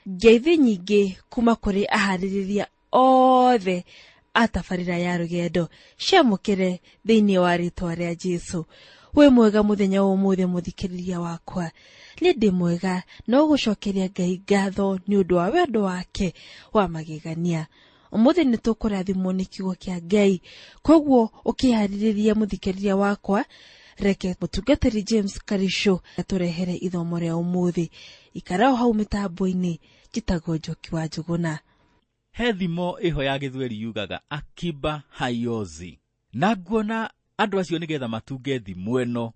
Ngeithi nyingĩ kuma kũrĩ aharĩrĩria othe a tabarĩra ya rũgendo ciamũkĩre thĩinĩ wa rĩtwa rĩa Jesũ. Wĩ mwega mũthenya wa ũmũthĩ mũthikĩrĩria wakwa. Nĩ ndĩ mwega no gũcokeria Ngai ngatho nĩ ũndũ wa wendo wake wa magegania. Ũmũthĩ nĩ tũkũrathimwo nĩ kiugo kĩa Ngai, koguo ũkĩharĩrĩria mũthikĩrĩria wakwa, reke mũtungatĩri James Karisho atũrehere ithomo rĩa ũmũthĩ. Ikara o hau mĩtambo-inĩ, njĩtagwo Njoki wa Njũgũna. He thimo ĩho ya gĩthweri yugaga akiba haiozi. Na nguona andũ acio nĩgetha matunge thimo ĩno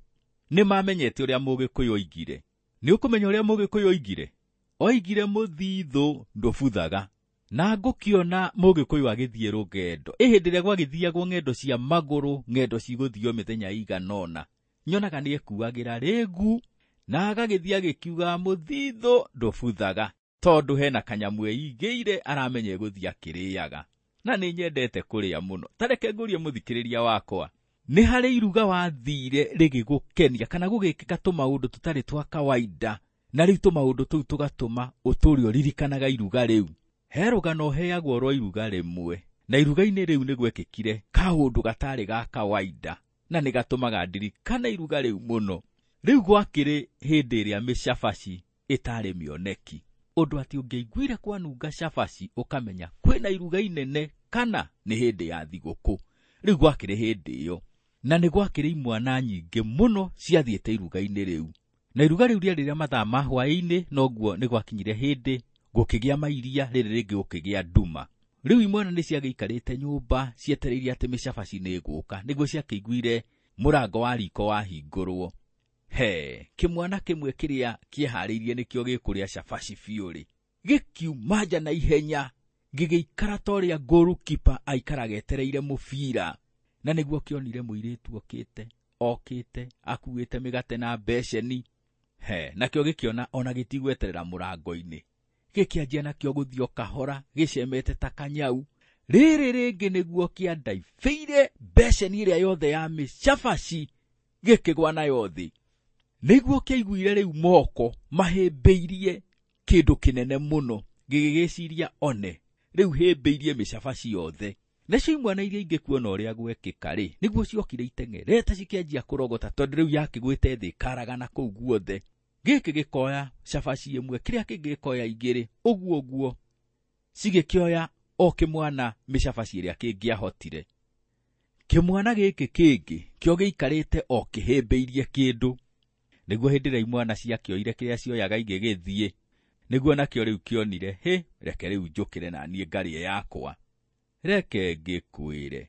nĩ mamenyete ũrĩa Mũgĩkũyũ oigire. Nĩ ũkũmenya ũrĩa Mũgĩkũyũ oigire? Oigire mũthithũ ndũbuthaga. Na ngũkĩona Mũgĩkũyũ agĩthiĩ rũgendo. Ĩ hĩndĩ ĩrĩa gwagĩthiagwo ng'endo cia magũrũ, ng'endo cigũthio mĩthenya ĩigana ũna, nyonaga nĩ ekuagĩra rĩgu na agagĩthiĩ agĩkiugaga mũthithũ ndũbuthaga, tondũ hena kanyamũ eigĩire aramenya egũthiĩ akĩrĩaga. Na nĩ nyendete kũrĩa mũno. Ta reke ngũrie mũthikĩrĩria wakwa, nĩ harĩ iruga wathire rĩgĩgũkenia kana gũgĩkĩka tũmaũndũ tũtarĩ twa kawaida, na rĩu tũmaũndũ tũu tũgatũma ũtũre ũririkanaga iruga rĩu. He rũgano heagwo rwa iruga rĩmwe, na iruga-inĩ rĩu nĩ gwekĩkire kaũndũ gatarĩ ga kawaida, na nĩ gatũmaga ndirikane iruga rĩu mũno. Rĩu gwakĩrĩ hĩndĩ ĩrĩa mĩcabaci ĩtarĩ mĩoneki, ũndũ atĩ ũngĩaiguire kwanunga cabaci ũkamenya kwĩna iruga inene kana nĩ hĩndĩ ya thigũkũ. Rĩu gwakĩrĩ hĩndĩ ĩyo, na nĩ gwakĩrĩ imwana nyingĩ mũno ciathiĩte iruga-inĩ rĩu. Na iruga rĩu rĩarĩ rĩa mathaa ma hwaĩ-inĩ, noguo nĩ gwakinyire hĩndĩ gũkĩgĩa mairia, rĩrĩ rĩngĩ gũkĩgĩa nduma. Rĩu imwana nĩ ciagĩikarĩte nyũmba cietereire atĩ mĩcabaci nĩ ĩgũka, nĩguo ciakĩiguire mũrango wa riko wahingũrwo. He, kĩmwana kĩmwe kĩrĩa kĩeharĩirie nĩkĩo gĩkũrĩa cabaci biũ rĩ, gĩkiuma nja na ihenya, gĩgĩikara ta ũrĩa goalkeeper aikaraga etereire mũbira. Na nĩguo kĩonire mũirĩtu okĩte, okĩte, akuĩte mĩgate na mbeceni. He, nakĩo gĩkĩona ona gĩtigweterera mũrango-inĩ. Gĩkĩanjia nakĩo gũthiĩ o kahora, gĩcemete ta kanyau. Rĩrĩ rĩngĩ nĩguo kĩandaibĩire mbeceni ĩrĩa yothe ya mĩcabaci, gĩkĩgwa nayo thĩ. Nĩguo kĩaiguire rĩu moko mahĩmbĩirie kĩndũ kĩnene mũno, gĩgĩgĩciria one, rĩu hĩmbĩirie mĩcabaci yothe. Nacio imwana iria ingĩ kuona ũrĩa gwekĩka rĩ, nĩguo ciokire iteng'erete cikĩanjia kũrogota, tondũ rĩu yakĩgwĩte thĩ ĩkaragana kũu guothe. Gĩkĩ gĩkoya cabaci ĩmwe, kĩrĩa kĩngĩ gĩkoya igĩrĩ, ũguo ũguo cigĩkĩoya o kĩmwana mĩcabaci ĩrĩa kĩngĩahotire. Kĩmwana gĩkĩ kĩngĩ kĩo gĩikarĩte o kĩhĩmbĩirie kĩndũ. Nĩguo hĩndĩ ĩrĩa imwana ciakĩoire kĩrĩa cioyaga igĩgĩthiĩ, nĩguo nakĩo rĩu kĩonire, hĩ, reke rĩu njũkĩre na niĩ ngarĩe yakwa. Reke ngĩkwĩre,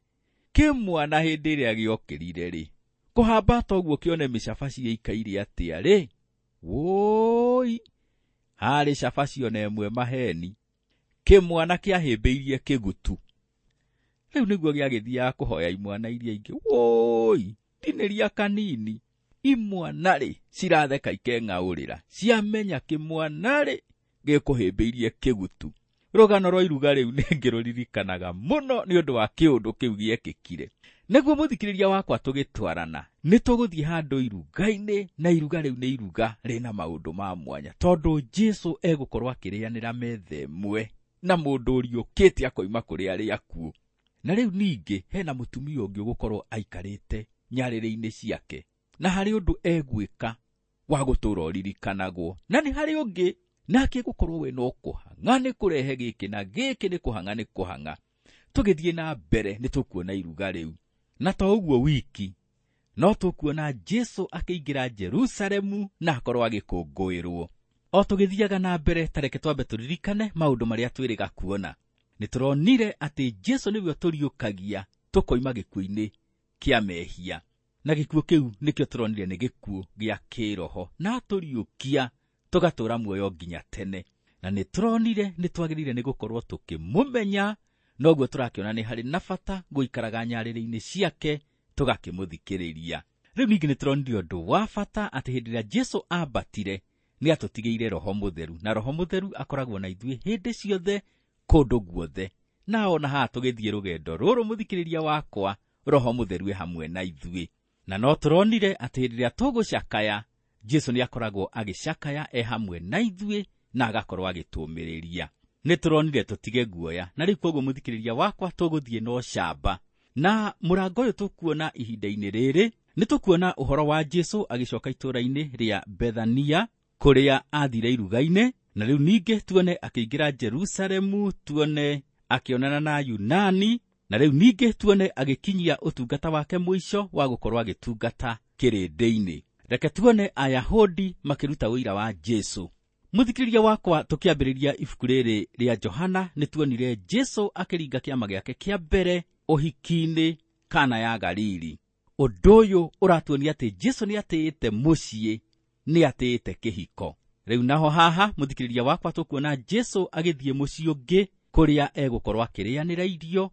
kĩmwana hĩndĩ ĩrĩa gĩokĩrire rĩ, kũhamba ta ũguo kĩone mĩcabaci ĩikaire atĩa rĩ, wũi, harĩ cabaci ona ĩmwe maheni. Kĩmwana kĩahĩmbĩirie kĩgutu. Rĩu nĩguo gĩagĩthiaga kũhoya imwana iria ingĩ, wũi, tinĩria kanini. Imwana rĩ, ciratheka ikeng'aũrĩra, ciamenya kĩmwana rĩ, gĩkũhĩmbĩirie kĩgutu. Rũgano rwa iruga rĩu nĩ ngĩrũririkanaga mũno nĩ ũndũ wa kĩũndũ kĩu gĩekĩkire. Nĩguo mũthikĩrĩria wakwa tũgĩtwarana, nĩ tũgũthiĩ handũ iruga-inĩ, na iruga rĩu nĩ iruga rĩna maũndũ ma mwanya, tondũ Jesũ egũkorwo akĩrĩanĩra metha ĩmwe na mũndũ ũriũkĩte akoima kũrĩ arĩa akuũ. Na rĩu ningĩ hena mũtumia ũngĩ ũgũkorwo aikarĩte nyarĩrĩ-inĩ ciake, na harĩ ũndũ egwĩka wa gũtũũra ũririkanagwo. Na nĩ harĩ ũngĩ nake gũkorwo we no kũhang'a nĩ kũrehe gĩkĩ na gĩkĩ nĩ kũhang'a nĩ kũhang'a. Tũgĩthiĩ na mbere nĩ tũkuona iruga rĩu. Na to ũguo wiki, no tũkuona Jesũ akĩingĩra Jerusalemu na akorwo agĩkũngũĩrwo. O tũgĩthiaga na mbere, ta reke twambe tũririkane maũndũ marĩa twĩrĩga kuona. Nĩ tũronire atĩ Jesũ nĩwe ũtũriũkagia tũkoima gĩkuũ-inĩ kĩa mehia. Na gĩkuũ kĩu nĩkĩo tũronire nĩ gĩkuũ gĩa kĩroho, na atũriũkia tũgatũũra muoyo nginya tene. Na nĩ tũronire nĩ twagĩrĩire nĩ gũkorwo tũkĩmũmenya, noguo tũrakĩona nĩ harĩ na bata gũikaraga nyarĩrĩ-inĩ ciake tũgakĩmũthikĩrĩria. Rĩu ningĩ nĩ tũronire ũndũ wa bata atĩ hĩndĩ ĩrĩa Jesũ ambatire nĩ atũtigĩire Roho Mũtheru, na Roho Mũtheru akoragwo na ithuĩ hĩndĩ ciothe kũndũ guothe. Na ona haha tũgĩthiĩ rũgendo rũrũ mũthikĩrĩria wakwa, Roho Mũtheru e hamwe na ithuĩ. Na no tũronire atĩ hĩndĩ ĩrĩa tũgũcakaya, Jesũ nĩ akoragwo agĩcakaya e hamwe na ithuĩ, na agakorwo agĩtũũmĩrĩria. Nĩ tũronire tũtige guoya, na rĩu koguo mũthikĩrĩria wakwa tũgũthiĩ na ũcamba. Na mũrango ũyũ tũkuona ihinda-inĩ rĩrĩ, nĩ tũkuona ũhoro wa Jesũ agĩcoka itũũra-inĩ rĩa Bethania kũrĩa athire iruga-inĩ, na rĩu ningĩ tuone akĩingĩra Jerusalemu, tuone akĩonana na Yunani, na rĩu ningĩ tuone agĩkinyia ũtungata wake mũico wa gũkorwo agĩtungata kĩrĩndĩ-inĩ. Reke tuone Ayahudi makĩruta ũira wa Jesũ. Mũthikĩrĩria wakwa, tũkĩambĩrĩria ibuku rĩrĩ rĩa Johana nĩ tuonire Jesũ akĩringa kĩama gĩake kĩa mbere ũhiki-inĩ Kana ya Galili. Ũndũ ũyũ ũratuonia atĩ Jesũ nĩ atĩĩte mũciĩ, nĩ atĩĩte kĩhiko. Rĩu naho haha mũthikĩrĩria wakwa tũkuona Jesũ agĩthiĩ mũciĩ ũngĩ kũrĩa egũkorwo akĩrĩanĩra irio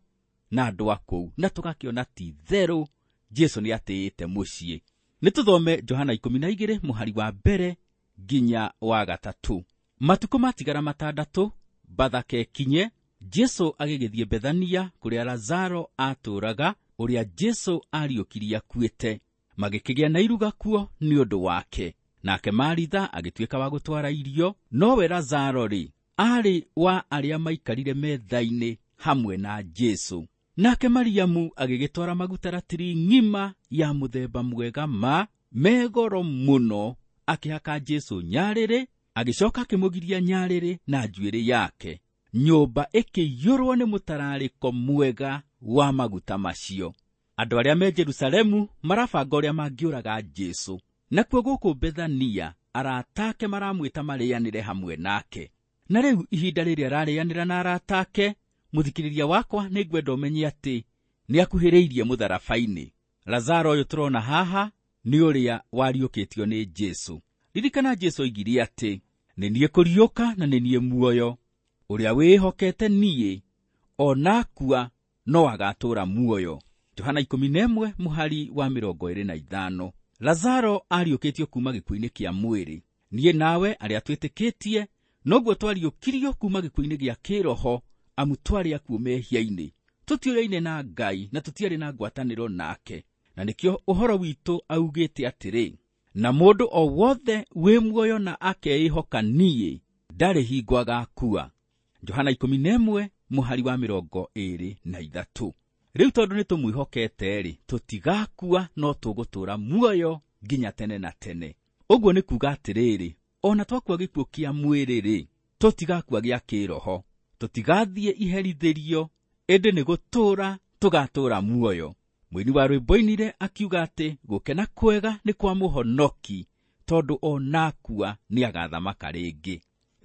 na andũ a kũu, na tũgakĩona ti therũ Jesũ nĩ atĩĩte mũciĩ. Nĩ tũthome Johana 12 mũhari wa mbere nginya wa 3. Matukũ matigara 6 Bathaka ĩkinye, Jesũ agĩgĩthiĩ Bethania kũrĩa Lazaro atũũraga, ũrĩa Jesũ ariũkirie akuĩte. Magĩkĩgĩa na iruga kuo nĩ ũndũ wake. Nake Maritha agĩtuĩka wa gũtwara irio, nowe Lazaro-rĩ, aarĩ wa arĩa maikarire metha-inĩ hamwe na Jesũ. Nake Mariamu agĩgĩtwara maguta ratiri ng'ima ya mũthemba mwega ma megoro mũno, akĩhaka Jesũ nyarĩrĩ, agĩcoka akĩmũgiria nyarĩrĩ na njuĩrĩ yake. Nyũmba ĩkĩiyũrwo nĩ mũtararĩko mwega wa maguta macio. Andũ arĩa me Jerusalemu marabanga ũrĩa mangĩũraga Jesũ. Nakuo gũkũ Bethania arata ake maramwĩta marĩanĩre hamwe nake. Na rĩu ihinda rĩrĩa ararĩanĩra na arata ake, mũthikĩrĩria wakwa nĩ ngwenda ũmenye atĩ nĩ akuhĩrĩirie mũtharaba-inĩ. Lazaro ũyũ tũrona haha nĩ ũrĩa wariũkĩtio nĩ Jesũ. Ririkana Jesũ oigire atĩ nĩ niĩ kũriũka na nĩ niĩ muoyo, ũrĩa wĩhokete niĩ ona akua no agatũũra muoyo. Johana 11 mũhari wa 25. Lazaro ariũkĩtio kuma gĩkuũ-inĩ kĩa mwĩrĩ. Niĩ nawe arĩa twĩtĩkĩtie noguo twariũkirio kuma gĩkuũ-inĩ gĩa kĩroho, amu twarĩ akuũ mehia-inĩ. Tũtiũyaine na Ngai na tũtiarĩ na ngwatanĩro nake, na nĩkĩo ũhoro witũ augĩte atĩrĩ, na mũndũ o wothe wĩ muoyo na akeĩhoka niĩ ndarĩ hingo agakua. Johana 11 mũhari wa 23. Rĩu tondũ nĩ tũmwĩhokete-rĩ, tũtigakua no tũgũtũũra muoyo nginya tene na tene. Ũguo nĩ kuuga atĩrĩrĩ, ona twakua gĩkuũ kĩa mwĩrĩ-rĩ, tũtigakua gĩa kĩroho, tũtigathiĩ iherithĩrio, ĩndĩ nĩ gũtũũra tũgatũũra muoyo. Mũini wa rwĩmbo oinire akiuga atĩ gũkena kwega nĩ kwa mũhonoki, tondũ ona akua nĩ agathamaka rĩngĩ.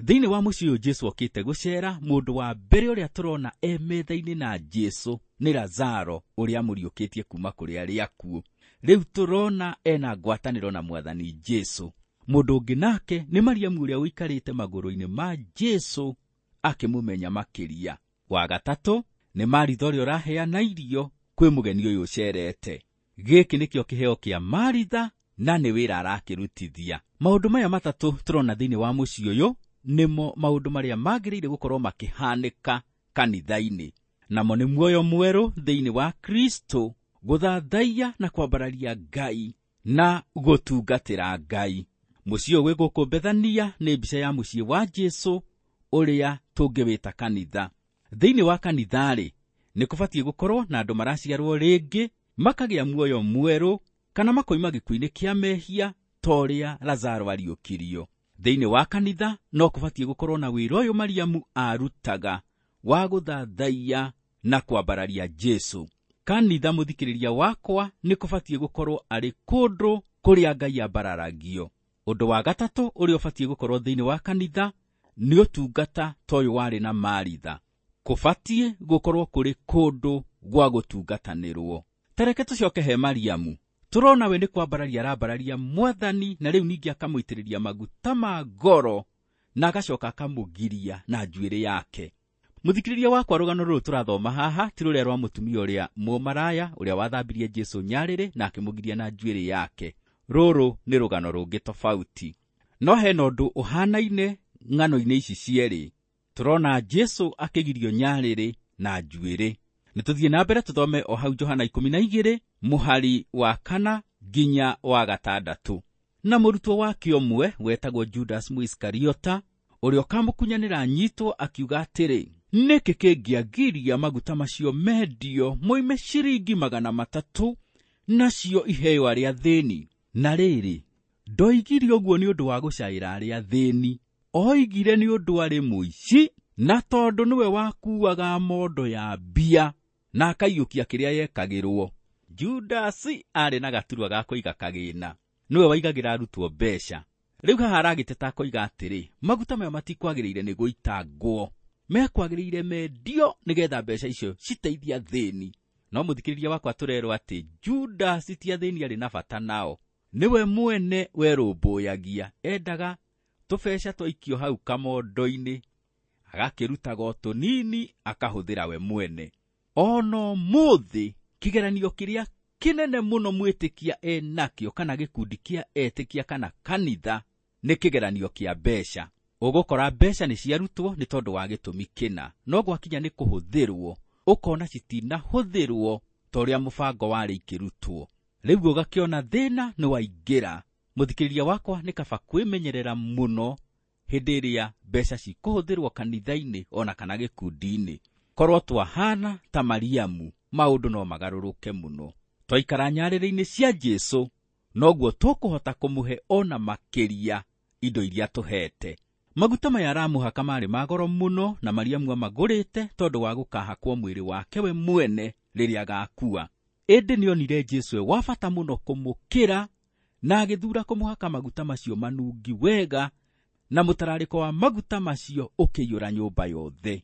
Thĩinĩ wa mũciĩ ũyũ Jesũ okĩte gũcera, mũndũ wa mbere ũrĩa tũrona e metha-inĩ na Jesũ nĩ Lazaro ũrĩa amũriũkĩtie kuma kũrĩ arĩa akuũ. Rĩu tũrona ena ngwatanĩro na Mwathani Jesũ. Mũndũ ũngĩ nake nĩ Mariamu ũrĩa ũikarĩte magũrũ-inĩ ma Jesũ akĩmũmenya makĩria. Wa gatatũ nĩ Maritha ũrĩa ũraheana irio kwĩ mũgeni ũyũ ũcerete. Gĩkĩ nĩkĩo kĩheo kĩa Maritha na nĩ wĩra arakĩrutithia. Maũndũ maya matatũ tũrona thĩinĩ wa mũciĩ ũyũ nĩmo maũndũ marĩa magĩrĩire gũkorwo makĩhanĩka kanitha-inĩ. Namo nĩ muoyo mwerũ thĩinĩ wa Kristo, gũthathaiya na kwambararia Ngai na gũtungatĩra Ngai. Mũciĩ ũyũ wĩ gũkũ Bethania nĩ mbica ya mũciĩ wa Jesũ ũrĩa tũngĩwĩta kanitha. Thĩinĩ wa kanitha-rĩ, nĩ kũbatiĩ gũkorwo na andũ maraciarwo rĩngĩ, makagĩa muoyo mwerũ kana makoima gĩkuũ-inĩ kĩa mehia ta ũrĩa Lazaro ariũkirio. Thĩinĩ wa kanitha no kũbatiĩ gũkorwo na wĩra ũyũ Mariamu arutaga wa gũthathaiya na kwambararia Jesũ. Kanitha mũthikĩrĩria wakwa nĩ kũbatiĩ gũkorwo arĩ kũndũ kũrĩa Ngai ambararagio. Ũndũ wa gatatũ ũrĩa ũbatiĩ gũkorwo thĩinĩ wa kanitha nĩ ũtungata ta ũyũ warĩ na Maritha. Kũbatiĩ gũkorwo kũrĩ kũndũ gwa gũtungatanĩrwo. Ta reke tũcoke he Mariamu. Tũrona we nĩ kwambararia arambararia Mwathani, na rĩu ningĩ akamũitĩrĩria maguta ma ngoro na agacoka akamũgiria na njuĩrĩ yake. Mũthikĩrĩria wakwa, rũgano rũrũ tũrathoma haha ti rũrĩa rwa mũtumia ũrĩa mũmaraya ũrĩa wathambirie Jesũ nyarĩrĩ na akĩmũgiria na njuĩrĩ yake. Rũrũ nĩ rũgano rũngĩ tofauti. No hena ũndũ ũhanaine ng'ano-inĩ ici cierĩ. Tũrona Jesũ akĩgirio nyarĩrĩ na njuĩrĩ. Nĩ tũthiĩ na mbere tũthome o hau Johana 12 mũhari wa 4 nginya wa 6. Na mũrutwo wake ũmwe wetagwo Judas Mũisikariota, Ũrĩa ũkamũkunyanĩra anyitwo akiuga atĩrĩ, nĩkĩ kĩngĩagiria maguta macio mendio moime ciringi 300 nacio iheo arĩa athĩni? Na rĩrĩ, ndoigire ũguo nĩ ũndũ wa gũcaĩra arĩa athĩni, oigire nĩ ũndũ arĩ mũici, na tondũ nĩwe wakuaga mondo ya mbia na akaiyũkia kĩrĩa yekagĩrwo. Judasi arĩ na gaturwa ga kũiga kagĩna, nĩwe waigagĩra arutwo mbeca. Rĩu haha aragĩteta akoiga atĩrĩ, maguta maya matikwagĩrĩire nĩ gũitangwo, mekwagĩrĩire mendio nĩgetha mbeca icio citeithie athĩni. No mũthikĩrĩria wakwa tũrerwo atĩ Judasi ti athĩni arĩ na bata nao, nĩwe mwene werũmbũyagia, endaga tũbeca twaikio hau kamondo-inĩ, agakĩrutaga o tũnini akahũthĩra we mwene. Ona ũmũthĩ kĩgeranio kĩrĩa kĩnene mũno mwĩtĩkia enakĩo kana gĩkundi kĩa etĩkia kana kanitha nĩ kĩgeranio kĩa mbeca. Ũgũkora mbeca nĩ ciarutwo nĩ tondũ wa gĩtũmi kĩna, no gwakinya nĩ kũhũthĩrwo ũkona citinahũthĩrwo ta ũrĩa mũbango warĩ ikĩrutwo. Rĩu ũgakĩona thĩna nĩ waingĩra. Mũthikĩrĩria wakwa, nĩ kaba kwĩmenyerera mũno hĩndĩ ĩrĩa mbeca cikũhũthĩrwo kanitha-inĩ ona kana gĩkundi-inĩ. Korwo twahana ta Mariamu, maũndũ no magarũrũke mũno. Twaikara nyarĩrĩ-inĩ cia Jesũ, noguo tũkũhota kũmũhe ona makĩria indo iria tũhete. Maguta maya aramũhaka marĩ ma goro mũno, na Mariamu amagũrĩte tondũ wa gũkahakwo mwĩrĩ wake we mwene rĩrĩa agakua. Ĩndĩ nĩonire Jesũ e wa bata mũno kũmũkĩra, na agĩthura kũmũhaka maguta macio manungi wega, na mũtararĩko wa maguta macio ũkĩiyũra nyũmba yothe.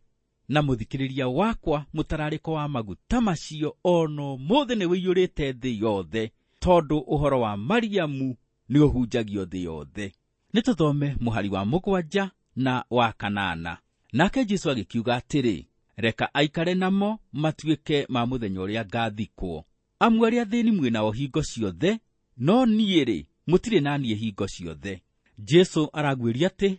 Na mũthikĩrĩria wakwa, mũtararĩko wa maguta macio ona ũmũthĩ nĩ ũiyũrĩte thĩ yothe, tondũ ũhoro wa Mariamu nĩ ũhunjagio thĩ yothe. Nĩ tũthome mũhari wa 7 na wa 8. Nake Jesũ agĩkiuga atĩrĩ, reka aikare namo matuĩke ma mũthenya ũrĩa ngathikwo. Amu arĩa athĩni mwĩ nao hingo ciothe, no niĩ-rĩ, mũtirĩ na niĩ hingo ciothe. Jesũ araguĩria atĩ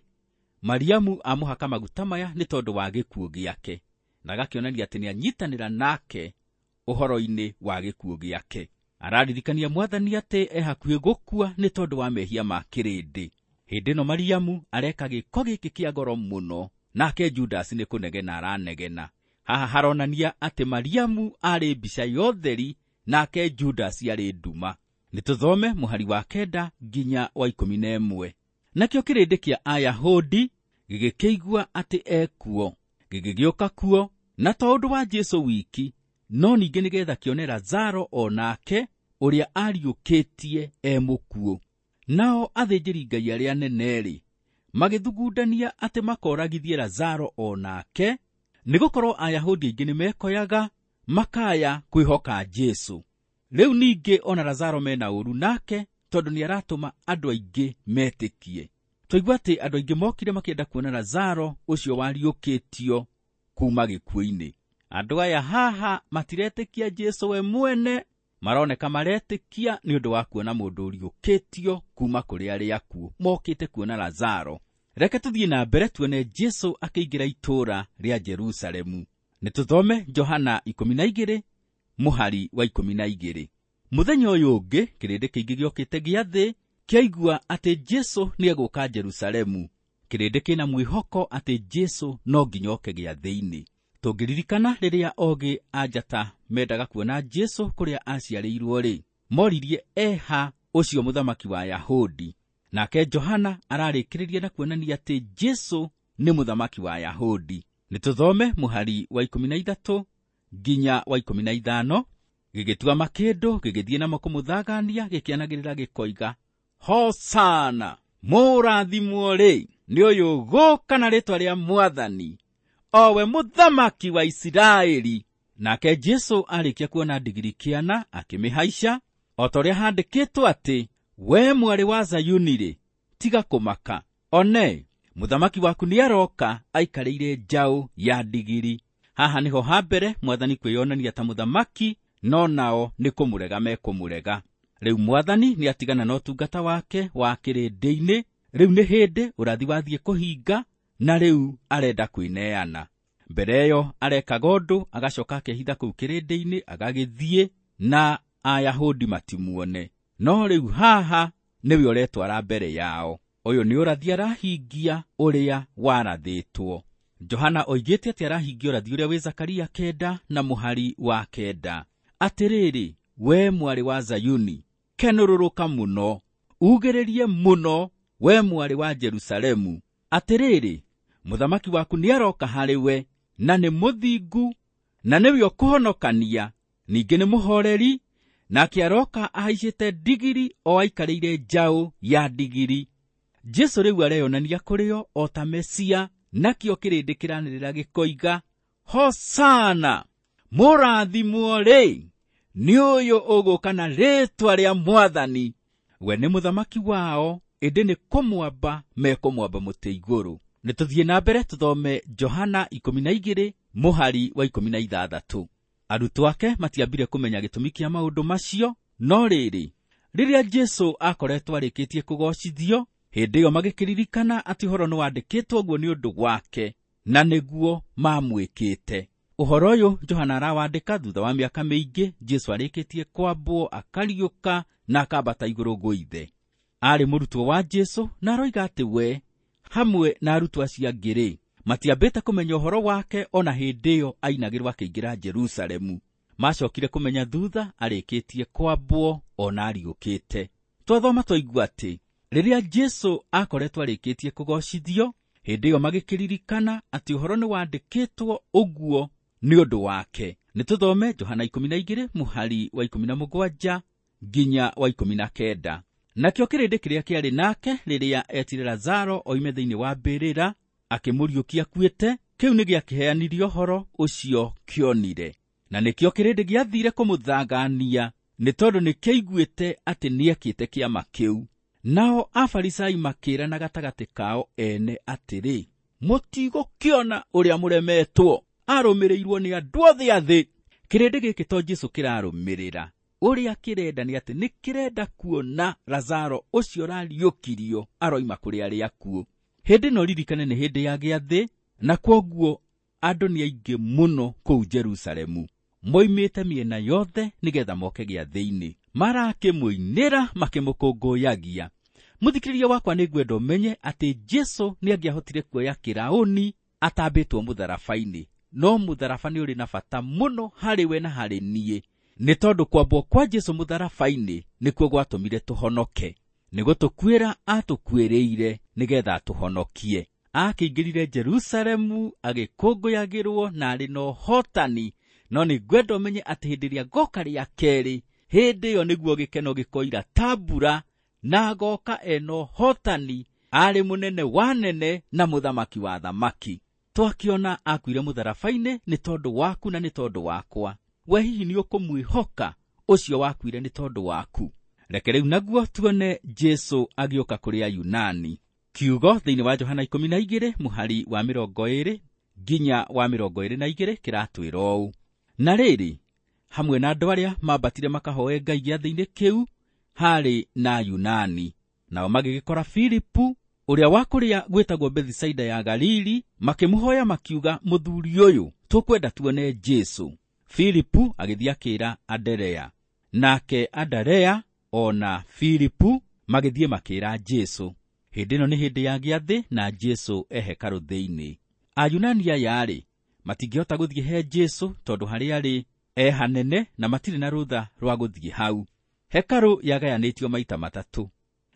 Mariamu amũhaka maguta maya nĩ tondũ wa gĩkuũ gĩake, na agakĩonania atĩ nĩanyitanĩra nake ũhoro-inĩ wa gĩkuũ gĩake. Araririkania Mwathani atĩ e hakuhĩ gũkua nĩ tondũ wa mehia ma kĩrĩndĩ. Hĩndĩ ĩno Mariamu areka gĩko gĩkĩ kĩa goro mũno, nake Judasi nĩ kũnegena aranegena. Haha haronania atĩ Mariamu arĩ mbica ya ũtheri, nake Judasi arĩ nduma. Nĩ tũthome mũhari wa 9 nginya wa 11. Nakĩo kĩrĩndĩ kĩa Ayahudi gĩgĩkĩigua atĩ ekuo, gĩgĩgĩũka kuo, na to ũndũ wa Jesũ wiki, no ningĩ nĩgetha kĩone Lazaro o nake ũrĩa ariũkĩtie e mũkuũ. Nao athĩnjĩri-Ngai arĩa anene-rĩ, magĩthugundania atĩ makoragithie Lazaro o nake, nĩgũkorwo Ayahudi aingĩ nĩmekoyaga makaya kwĩhoka Jesũ. Rĩu ningĩ ona Lazaro mena ũũru nake, tondũ nĩaratũma andũ aingĩ metĩkie. Twaigua atĩ andũ aingĩ mokire makĩenda kuona Lazaro ũcio wariũkĩtio kuma gĩkuũ-inĩ. Andũ aya haha matiretĩkia Jesũ we mwene, maroneka maretĩkia nĩ ũndũ wa kuona mũndũ ũriũkĩtio kuma kũrĩ arĩa akuũ, mokĩte kuona Lazaro. Reke tũthiĩ na mbere tuone Jesũ akĩingĩra itũũra rĩa Jerusalemu. Nĩ tũthome Johana 12 mũhari wa 12. Mũthenya ũyũ ũngĩ kĩrĩndĩ kĩingĩ gĩokĩte gĩathĩ kĩaigua atĩ Jesũ nĩegũka Jerusalemu. Kĩrĩndĩ kĩna mwĩhoko atĩ Jesũ no nginya oke gĩathĩ-inĩ. Tũngĩririkana rĩrĩa ogĩ a njata mendaga kuona Jesũ kũrĩa aciarĩirwo-rĩ, moririe eha ũcio mũthamaki wa Ayahudi. Nake Johana ararĩkĩrĩria na kuonania atĩ Jesũ nĩ mũthamaki wa Ayahudi. Nĩ tũthome mũhari wa 13 nginya wa 15. Gĩgĩtua makĩndũ gĩgĩthiĩ namo kũmũthagania, gĩkĩanagĩrĩra gĩkoiga, Hosana, mũrathimwo-rĩ nĩ ũyũ gũka na rĩĩtwa rĩa Mwathani, o we mũthamaki wa Isiraeli. Nake Jesũ arĩkia kuona ndigiri kĩana akĩmĩhaica, o ta ũrĩa handĩkĩtwo atĩ, we mwarĩ wa Zayuni-rĩ, tiga kũmaka, one mũthamaki waku nĩaroka aikarĩire njaũ ya ndigiri. Haha nĩho ha mbere Mwathani kwĩyonania ta mũthamaki, no nao nĩ kũmũrega mekũmũrega. Rĩu Mwathani nĩatigana na ũtungata wake wa kĩrĩndĩ-inĩ. Rĩu nĩ hĩndĩ ũrathi wathiĩ kũhinga, na rĩu arenda kwĩneana. Mbere ĩyo arekaga ũndũ, agacoka akehitha kũu kĩrĩndĩ-inĩ, agagĩthiĩ na Ayahudi matimuone. No rĩu haha nĩwe ũretwara mbere yao. Ũyũ nĩ ũrathi arahingia ũrĩa warathĩtwo. Johana oigĩte atĩ arahingia ũrathi ũrĩa wĩ Zakaria 9 na mũhari wa 9. Atĩrĩrĩ, we mwarĩ wa Zayuni, kenũrũrũka mũno, ugĩrĩrie mũno, we mwarĩ wa Jerusalemu. Atĩrĩrĩ, mũthamaki waku nĩaroka harĩ we, na nĩ mũthingu, na nĩwe ũkũhonokania, ningĩ nĩ mũhoreri, nake aroka ahaicĩte ndigiri o aikarĩire njaũ ya ndigiri. Jesũ rĩu areyonania kũrĩ o o ta Mesia, nakĩo kĩrĩndĩ kĩranĩrĩra gĩkoiga, Hosana, mũrathimwo rĩ, nĩ ũyũ ũgũka na rĩĩtwa rĩa Mwathani. We nĩ mũthamaki wao, ĩndĩ nĩ kũmwamba mekũmwamba mũtĩ igũrũ. Nĩ tũthiĩ na mbere tũthome Johana 12 mũhari wa 16. Arutwo ake matiambire kũmenya gĩtũmi kĩa maũndũ macio, no rĩrĩ, rĩrĩa Jesũ akoretwo arĩkĩtie kũgoocithio, hĩndĩ ĩyo magĩkĩririkana atĩ ũhoro nĩwandĩkĩtwo ũguo nĩ ũndũ wake, na nĩguo mamwĩkĩte. Ũhoro ũyũ Johana arawandĩka thutha wa mĩaka mĩingĩ Jesũ arĩkĩtie kwambwo, akariũka na akambata igũrũ gwĩ Ithe. Aarĩ mũrutwo wa Jesũ na aroiga atĩ we hamwe na arutwo acio angĩ rĩ, matiambĩte kũmenya ũhoro wake ona hĩndĩ ĩyo ainagĩrwo akĩingĩra Jerusalemu. Macokire kũmenya thutha arĩkĩtie kwambwo ona ariũkĩte. Twathoma twaigua atĩ rĩrĩa Jesũ akoretwo arĩkĩtie kũgoocithio, hĩndĩ ĩyo magĩkĩririkana atĩ ũhoro nĩwandĩkĩtwo ũguo nĩ ũndũ wake. Nĩ tũthome Johana 12 mũhari wa 17 nginya wa 19. Nakĩo kĩrĩndĩ kĩrĩa kĩarĩ nake rĩrĩa etire Lazaro oime thĩinĩ wa mbĩrĩra akĩmũriũkia akuĩte, kĩu nĩ gĩakĩheanirie ũhoro ũcio kĩonire. Na nĩkĩo kĩrĩndĩ gĩathire kũmũthangania, nĩ tondũ nĩkĩaiguĩte atĩ nĩekĩte kĩama kĩu. Nao Afarisai makĩĩrana gatagatĩ kao ene atĩrĩ, mũtigũkĩona ũrĩa mũremetwo, arũmĩrĩirwo nĩ andũ othe a thĩ. Kĩrĩndĩ gĩkĩ to Jesũ kĩrarũmĩrĩra, ũrĩa kĩrenda nĩ atĩ nĩ kĩrenda kuona Lazaro ũcio ũrariũkirio aroima kũrĩ arĩa akuũ. Hĩndĩ ĩno ririkane nĩ hĩndĩ ya gĩathĩ, na kwoguo andũ nĩ aingĩ mũno kũu Jerusalemu. Moimĩte mĩena yothe nĩgetha moke gĩathĩ-inĩ. Marakĩmũinĩra makĩmũkũngũyagia. Mũthikĩrĩria wakwa, nĩ ngwenda ũmenye atĩ Jesũ nĩangĩahotire kuoya kĩraũni atambĩtwo mũtharaba-inĩ, no mũtharaba nĩ ũrĩ na bata mũno harĩ we na harĩ niĩ, nĩ tondũ kwambwo kwa Jesũ mũtharaba-inĩ nĩkuo gwatũmire tũhonoke. Nĩ gũtũkuĩra atũkuĩrĩire nĩgetha atũhonokie. Akĩingĩrire Jerusalemu agĩkũngũyagĩrwo na arĩ na ũhotani, no nĩ ngwenda ũmenye atĩ hĩndĩ ĩrĩa ngoka rĩa kerĩ, hĩndĩ ĩyo nĩguo gĩkeno gĩkoira ta mbura, na agoka ena ũhotani, arĩ mũnene wa nene na mũthamaki wa thamaki. Twakĩona akuire mũtharaba-inĩ nĩ tondũ waku na nĩ tondũ wakwa. We hihi nĩ ũkũmwĩhoka ũcio wakuire nĩ tondũ waku? Reke rĩu naguo tuone Jesũ agĩũka kũrĩ Ayunani. Kiugo thĩinĩ wa Johana 12 mũhari wa 20 nginya wa 22 kĩratwĩra ũũ: na rĩrĩ, hamwe na andũ arĩa mambatire makahoe Ngai gĩathĩ-inĩ kĩu harĩ na Ayunani. Nao magĩgĩkora Filipu ũrĩa wa kũrĩa gwĩtagwo Bethisaida ya Galili, makĩmũhoya makiuga, mũthuri ũyũ, tũkwenda tuone Jesũ. Filipu agĩthiĩ akĩĩra Anderea, nake Anderea ona Filipu magĩthiĩ makĩĩra Jesũ. Hĩndĩ ĩno nĩ hĩndĩ ya gĩathĩ na Jesũ e hekarũ thĩinĩ. Ayunani aya rĩ, matingĩhota gũthiĩ he Jesũ tondũ harĩa arĩ e hanene na matirĩ na rũtha rwa gũthiĩ hau. Hekarũ yagayanĩtio maita matatũ.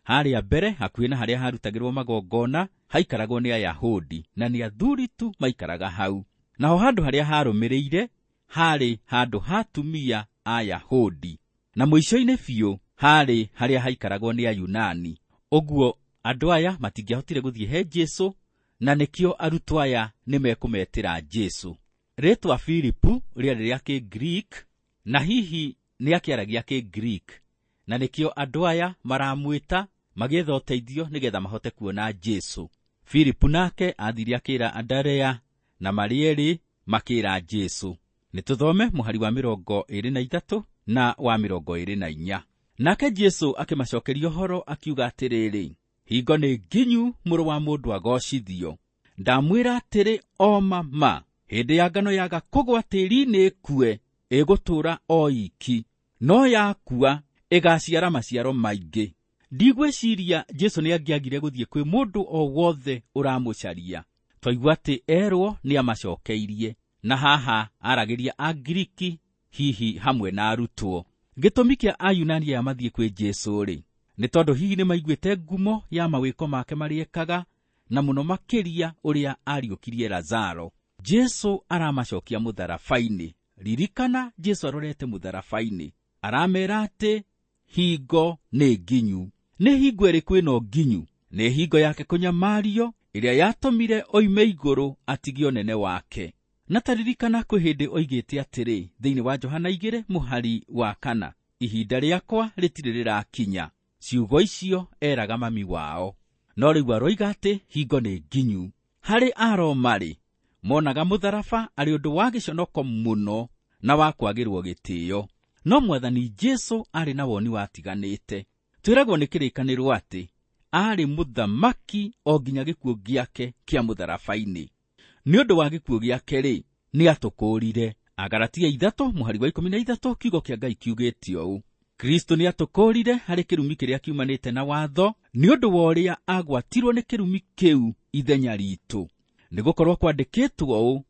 Harĩa mbere hakuhĩ na harĩa harutagĩrwo magongona haikaragwo nĩ Ayahudi na nĩ athuri tu maikaraga hau. Naho handũ harĩa harũmĩrĩire harĩ handũ ha atumia Ayahudi, na mũico-inĩ biũ harĩ harĩa haikaragwo nĩ Ayunani. Ũguo andũ aya matingĩahotire gũthiĩ he Jesũ, na nĩkĩo arutwo aya nĩmekũmetĩra Jesũ. Rĩĩtwa Filipu rĩarĩ rĩa Kĩgiriki, na hihi nĩakĩaragia Kĩgiriki, na nĩkĩo andũ aya maramwĩta magĩetha ũteithio nĩgetha mahote kuona Jesũ. Filipu nake athire akĩĩra Anderea, na marĩ erĩ makĩĩra Jesũ. Nĩ tũthome mũhari wa 23 na wa 24. Nake Jesũ akĩmacokeria ũhoro akiuga atĩrĩrĩ, hingo nĩ nginyu mũrũ wa mũndũ agocithio. Ndamwĩra atĩrĩ o ma, hĩndĩ ya ngano yaga kũgwa tĩĩri-inĩ ĩkue, ĩgũtũũra o iki, no yakua ĩgaciara maciaro maingĩ. Ndigwĩciria Jesũ nĩangĩagire gũthiĩ kwĩ mũndũ o wothe ũramũcaria. Twaigua atĩ erwo nĩamacokeirie, na haha aragĩria Angiriki hihi hamwe na arutwo. Gĩtũmi kĩa Ayunani aya mathiĩ kwĩ Jesũ-rĩ, nĩ tondũ hihi nĩmaiguĩte ngumo ya mawĩko make marĩa ekaga, na mũno makĩria ũrĩa ariũkirie Lazaro. Jesũ aramacokia mũtharaba-inĩ. Ririkana Jesũ arorete mũtharaba-inĩ. Aramera atĩ hingo nĩ nginyu. Nĩ hingo ĩrĩkũ ĩno nginyu? Nĩ hingo yake kũnyamario ĩrĩa yatũmire oime igũrũ atigie ũnene wake. Na taririkana kwĩ hĩndĩ oigĩte atĩrĩ thĩinĩ wa Johana 2 mũhari wa 4, ihinda rĩakwa rĩtirĩ rĩrakinya. Ciugo icio eraga mami wao. No rĩu aroiga atĩ hingo nĩ nginyu. Harĩ Aroma-rĩ, monaga mũtharaba arĩ ũndũ wa gĩconoko mũno na wa kwagĩrwo gĩtĩo. No mwathani Jesũ arĩ na woni watiganĩte. Twĩragwo nĩ kĩrĩkanĩro atĩ arĩ mũthamaki o nginya gĩkuũ gĩake kĩa mũtharaba-inĩ. Nĩ ũndũ wa gĩkuũ gĩake-rĩ, nĩatũkũũrire. Agalatia 3 mũhari wa 13 kiugo kĩa Ngai kiugĩte ũũ: Kristo nĩatũkũũrire harĩ kĩrumi kĩrĩa kiumanĩte na watho, nĩ ũndũ wa ũrĩa agwatirwo nĩ kĩrumi kĩu ithenya ritũ. Nĩgũkorwo kwandĩkĩtwo ũũ: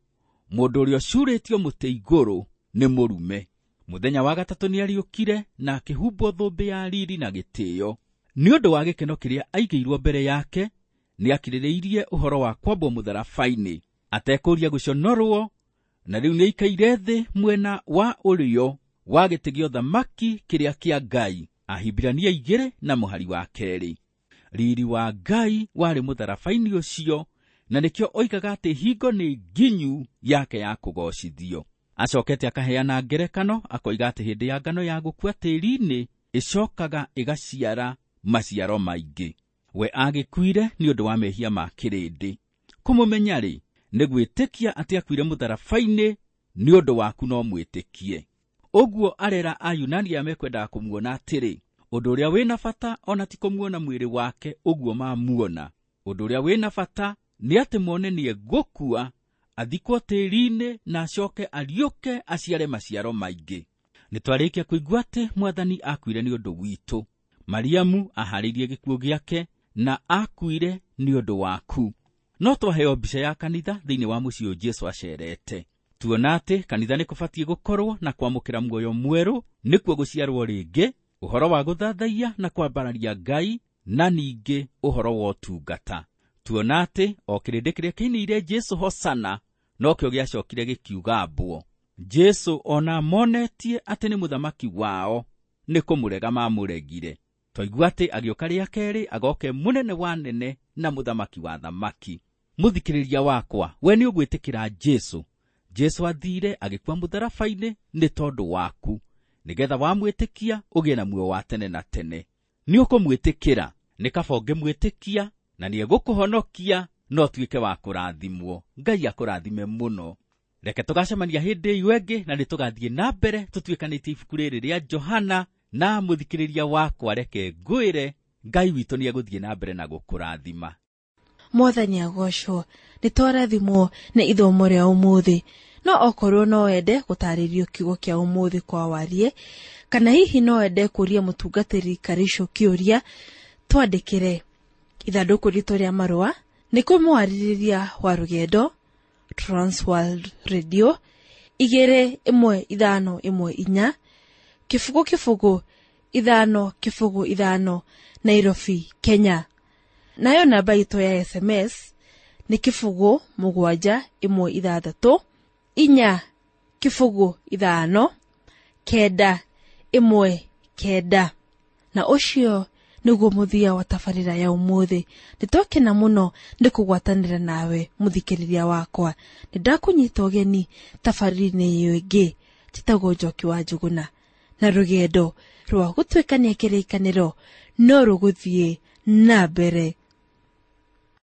mũndũ ũrĩa ũcuurĩtio mũtĩ igũrũ nĩ mũrume. Mũthenya wa gatatũ nĩariũkire na akĩhumbwo thũmbĩ ya riri na gĩtĩo. Nĩ ũndũ wa gĩkeno kĩrĩa aigĩirwo mbere yake, nĩakirĩrĩirie ũhoro wa kwambwo mũtharaba-inĩ, atekũũria gũconorwo, na rĩu nĩaikaire thĩ mwena wa ũrĩo wa gĩtĩ gĩa ũthamaki kĩrĩa kĩa Ngai. Ahibirania 2 na mũhari wa 2. Riri wa Ngai warĩ mũtharaba-inĩ ũcio, na nĩkĩo oigaga atĩ hingo nĩ nginyu yake ya kũgoocithio. Acokete akaheana ngerekano akoiga atĩ hĩndĩ ya ngano ya gũkua tĩĩri-inĩ ĩcokaga ĩgaciara maciaro maingĩ. We agĩkuire nĩ ũndũ wa mehia ma kĩrĩndĩ. Kũmũmenya-rĩ, nĩ gwĩtĩkia atĩ akuire mũtharaba-inĩ nĩ ũndũ waku no mwĩtĩkie. Ũguo arera Ayunani arĩa mekwendaga kũmuona atĩrĩ, ũndũ ũrĩa wĩna bata ona ti kũmuona mwĩrĩ wake ũguo mamuona. Ũndũ ũrĩa wĩna bata nĩ atĩ mone nĩegũkua, athikwo tĩĩri-inĩ na acoke ariũke aciare maciaro maingĩ. Nĩtwarĩkia kũigua atĩ mwathani akuire nĩ ũndũ witũ. Mariamu aharĩirie gĩkuũ gĩake na akuire nĩ ũndũ waku. No twaheo mbica ya kanitha thĩinĩ wa mũciĩ ũyũ Jesũ acerete. Tuona atĩ kanitha nĩ kũbatiĩ gũkorwo na kwamũkĩra muoyo mwerũ, nĩkuo gũciarwo rĩngĩ, ũhoro wa gũthathaiya na kwambararia Ngai, na ningĩ ũhoro wa ũtungata. Tuona atĩ o kĩrĩndĩ kĩrĩa kĩinĩire Jesũ Hosana nokĩo gĩacokire gĩkiuga mbwo. Jesũ ona monetie atĩ nĩ mũthamaki wao, nĩ kũmũrega mamũregire. Twaigua atĩ agĩũka rĩa kerĩ agoke mũnene wa nene na mũthamaki wa thamaki. Mũthikĩrĩria wakwa, we nĩ ũgwĩtĩkĩra Jesũ. Jesũ athire agĩkua mũtharaba-inĩ nĩ tondũ waku, nĩgetha wamwĩtĩkia ũgĩe na muoyo wa tene na tene. Nĩ ũkũmwĩtĩkĩra, nĩ kaba ũngĩmwĩtĩkia na nĩegũkũhonokia no ũtuĩke wa kũrathimwo. Ngai akũrathime mũno. Reke tũgacemania hĩndĩ ĩyo ĩngĩ na nĩtũgathiĩ na mbere tũtuĩkanĩtie ibuku rĩrĩ rĩa Johana. Na mũthikĩrĩria wakwa, reke ngwĩre Ngai witũ nĩegũthiĩ na mbere na gũkũrathima. Mwathani agocwo. Nĩtwarathimwo nĩ ithomo rĩa ũmũthĩ. No okorwo no wende gũtarĩrio kiugo kĩa ũmũthĩ kwa warie, kana hihi no wende kũria mũtungatĩri Karicũ kĩũria, twandĩkĩre ithandũkũ ritũ rĩa marũa nĩ kũmwarĩrĩria wa rũgendo Transworld Radio 21514 0 0 5 0 5 Nairobi, Kenya. Nayo namba itũ ya SMS nĩ 0 7 1 6 4 0 5 9 1 9. Na ũcio nĩguo mũthia wa tabarĩra ya ũmũthĩ. Nĩtwakena mũno nĩ kũgwatanĩra nawe mũthikĩrĩria wakwa. Nĩndakũnyita ũgeni tabarĩra-inĩ ĩyo ĩngĩ. Njĩtagwo Njoki wa Njũgũna, na rũgendo rwa gũtuĩkania kĩrĩkanĩro no rũgũthiĩ na mbere.